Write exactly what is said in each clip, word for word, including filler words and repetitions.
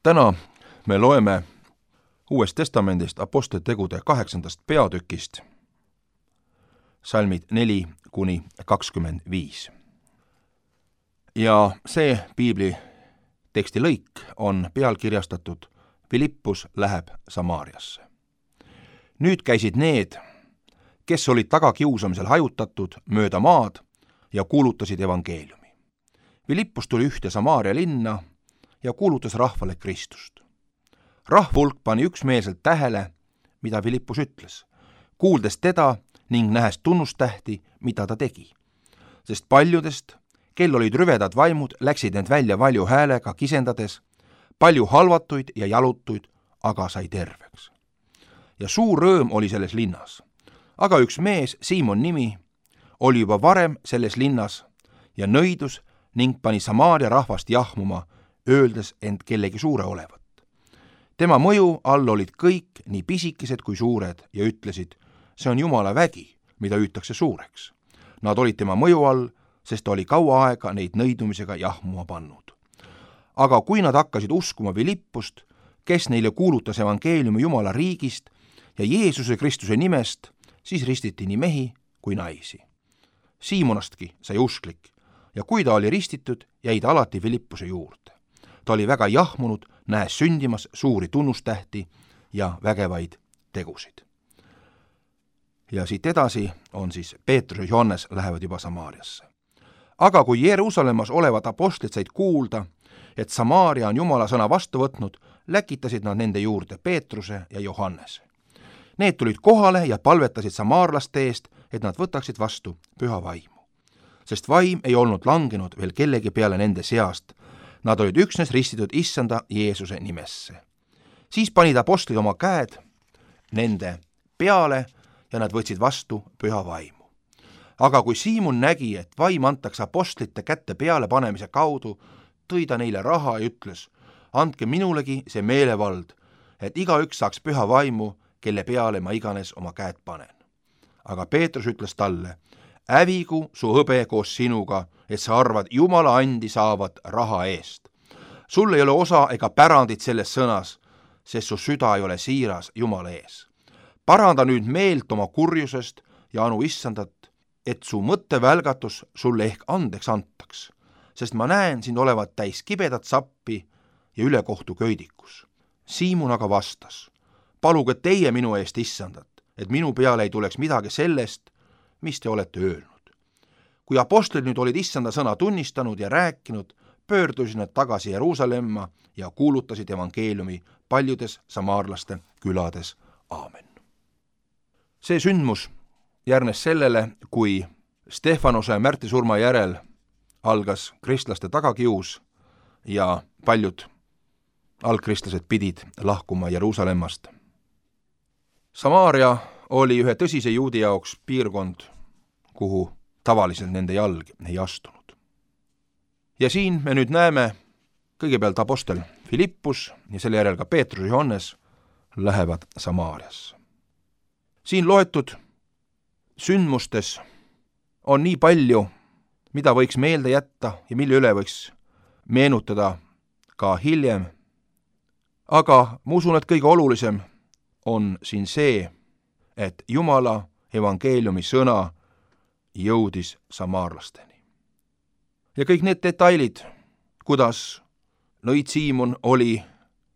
Täna me loeme Uuest Testamendist Apostlite tegude kaheksandast peatükist, salmid neli kuni kakskümmend viis. Ja see piibli teksti lõik on pealkirjastatud Philippus läheb Samaariasse. Nüüd käisid need, kes olid tagakiusamisel hajutatud mööda maad ja kuulutasid evangeeliumi. Philippus tuli ühte Samaaria linna ja kuulutas rahvale Kristust. Rahvulk pani üksmeelselt tähele, mida Philippus ütles, kuuldes teda ning nähes tunnustähti, mida ta tegi. Sest paljudest, kel olid rüvedad vaimud, läksid need välja valju häälega kisendades, palju halvatuid ja jalutuid, aga sai terveks. Ja suur rõõm oli selles linnas. Aga üks mees, Siimon nimi, oli juba varem selles linnas ja nõidus ning pani Samaaria rahvast jahmuma, öeldes end kellegi suure olevat. Tema mõju all olid kõik, nii pisikesed kui suured, ja ütlesid, see on Jumala vägi, mida hüütakse suureks. Nad olid tema mõju all, sest ta oli kaua aega neid nõidumisega jahmuma pannud. Aga kui nad hakkasid uskuma Philippust, kes neile kuulutas evangeeliumi Jumala riigist ja Jeesuse Kristuse nimest, siis ristiti nii mehi kui naisi. Siimonastki sai usklik ja kui ta oli ristitud, jäi ta alati Philippuse juurde. Ta oli väga jahmunud, nähes sündimas suuri tunnustähti ja vägevaid tegusid. Ja siit edasi on siis Peetrus ja Johannes lähevad juba Samaariasse. Aga kui Jeruusalemmas olevad apostlid said kuulda, et Samaaria on Jumala sõna vastu võtnud, läkitasid nad nende juurde Peetruse ja Johannese. Need tulid kohale ja palvetasid samaarlaste eest, et nad võtaksid vastu püha vaimu. Sest vaim ei olnud langenud veel kellegi peale nende seast, nad olid üksnes ristitud issanda Jeesuse nimesse. Siis panid apostlid oma käed nende peale ja nad võtsid vastu püha vaimu. Aga kui Siimon nägi, et vaim antakse apostlite kätte peale panemise kaudu, tõi ta neile raha ja ütles, andke minulegi see meelevald, et igaüks saaks püha vaimu, kelle peale ma iganes oma käed panen. Aga Peetrus ütles talle, hävigu su hõbe koos sinuga, et sa arvad Jumala andi saavat raha eest. Sul ei ole osa ega pärandit selles sõnas, sest su süda ei ole siiras Jumala ees. Paranda nüüd meelt oma kurjusest ja anu issandat, et su mõttevälgatus sulle ehk andeks antaks, sest ma näen sind olevat täis kibedat sappi ja ülekohtu köidikus. Siimon aga vastas, paluge teie minu eest issandat, et minu peale ei tuleks midagi sellest, mis te olete öelnud. Kui apostlid nüüd olid issanda sõna tunnistanud ja rääkinud, pöördusid nad tagasi Jeruusalemma ja kuulutasid evangeeliumi paljudes samaarlaste külades. Aamen. See sündmus järgnes sellele, kui Stefanose ja Märti surma järel algas kristlaste tagakius ja paljud algkristlased pidid lahkuma Jeruusalemmast. Samaaria oli ühe tõsise juudi jaoks piirkond, kuhu tavaliselt nende jalg ei astunud. Ja siin me nüüd näeme kõigepealt apostel Philippus ja selle järel ka Peetrus ja Johannes lähevad Samaariasse. Siin loetud sündmustes on nii palju, mida võiks meelde jätta ja mille üle võiks meenutada ka hiljem. Aga ma usun, et kõige olulisem on siin see, et Jumala evangeeliumi sõna jõudis samaarlasteni. Ja kõik need detailid, kuidas nõid Siimon oli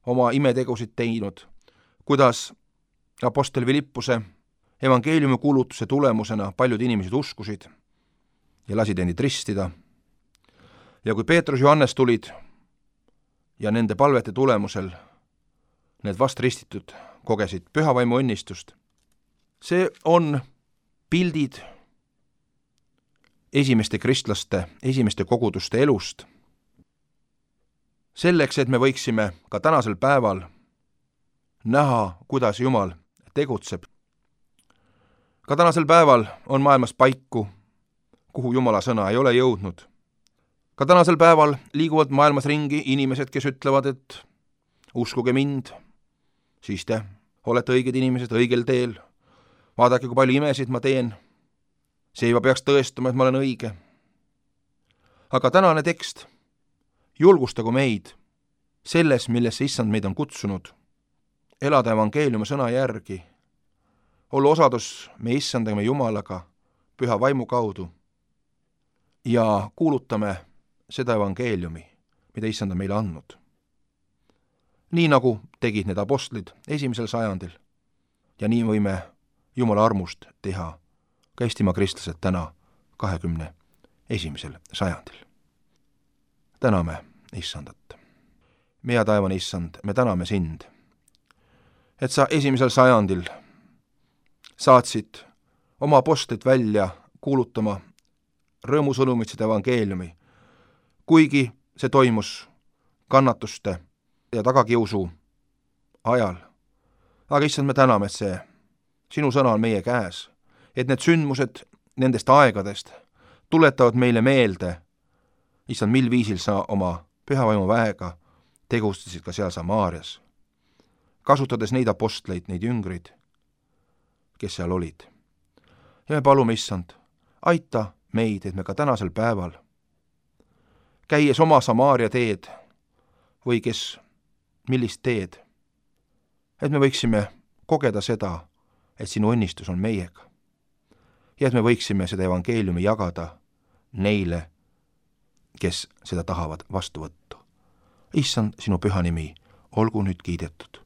oma imetegusid teinud, kuidas apostel Philippuse evangeeliumi kuulutuse tulemusena paljud inimesed uskusid ja lasid endid ristida. Ja kui Peetrus ja Johannes tulid ja nende palvete tulemusel need vastristitud kogesid pühavaimu õnnistust, see on pildid esimeste kristlaste, esimeste koguduste elust. Selleks, et me võiksime ka tänasel päeval näha, kuidas Jumal tegutseb. Ka tänasel päeval on maailmas paiku, kuhu Jumala sõna ei ole jõudnud. Ka tänasel päeval liiguvad maailmas ringi inimesed, kes ütlevad, et uskuge mind, siis te olete õiged inimesed õigel teel. Vaadake, kui palju imesid ma teen. See juba peaks tõestama, et ma olen õige. Aga tänane tekst julgustagu meid selles, millesse Issand meid on kutsunud, elada evangeeliumi sõna järgi, olla osadus meie Issandaga, meie Jumalaga, püha vaimu kaudu ja kuulutame seda evangeeliumi, mida Issand on meile andnud. Nii nagu tegid need apostlid esimesel sajandil ja nii võime Jumala armust teha ka Eestimaa kristlased täna kahekümne esimesel sajandil. Täname Issandat. Meie taevane Issand, me täname sind, et sa esimesel sajandil saatsid oma apostlit välja kuulutama rõõmusõnumit seda evangeeliumi, kuigi see toimus kannatuste ja tagakiusu ajal. Aga Issand, me täname, et see sinu sõna on meie käes, et need sündmused nendest aegadest tuletavad meile meelde, Issand, mil viisil sa oma pühavaimu väega tegustasid ka seal Samaarias, kasutades neid apostleid, neid jüngrid, kes seal olid. Ja me palume, Issand, aita meid, et me ka tänasel päeval, käies oma Samaaria teed või kes millist teed, et me võiksime kogeda seda, et sinu õnnistus on meiega ja et me võiksime seda evangeeliumi jagada neile, kes seda tahavad vastu võtta. Issand, sinu püha nimi olgu nüüd kiidetud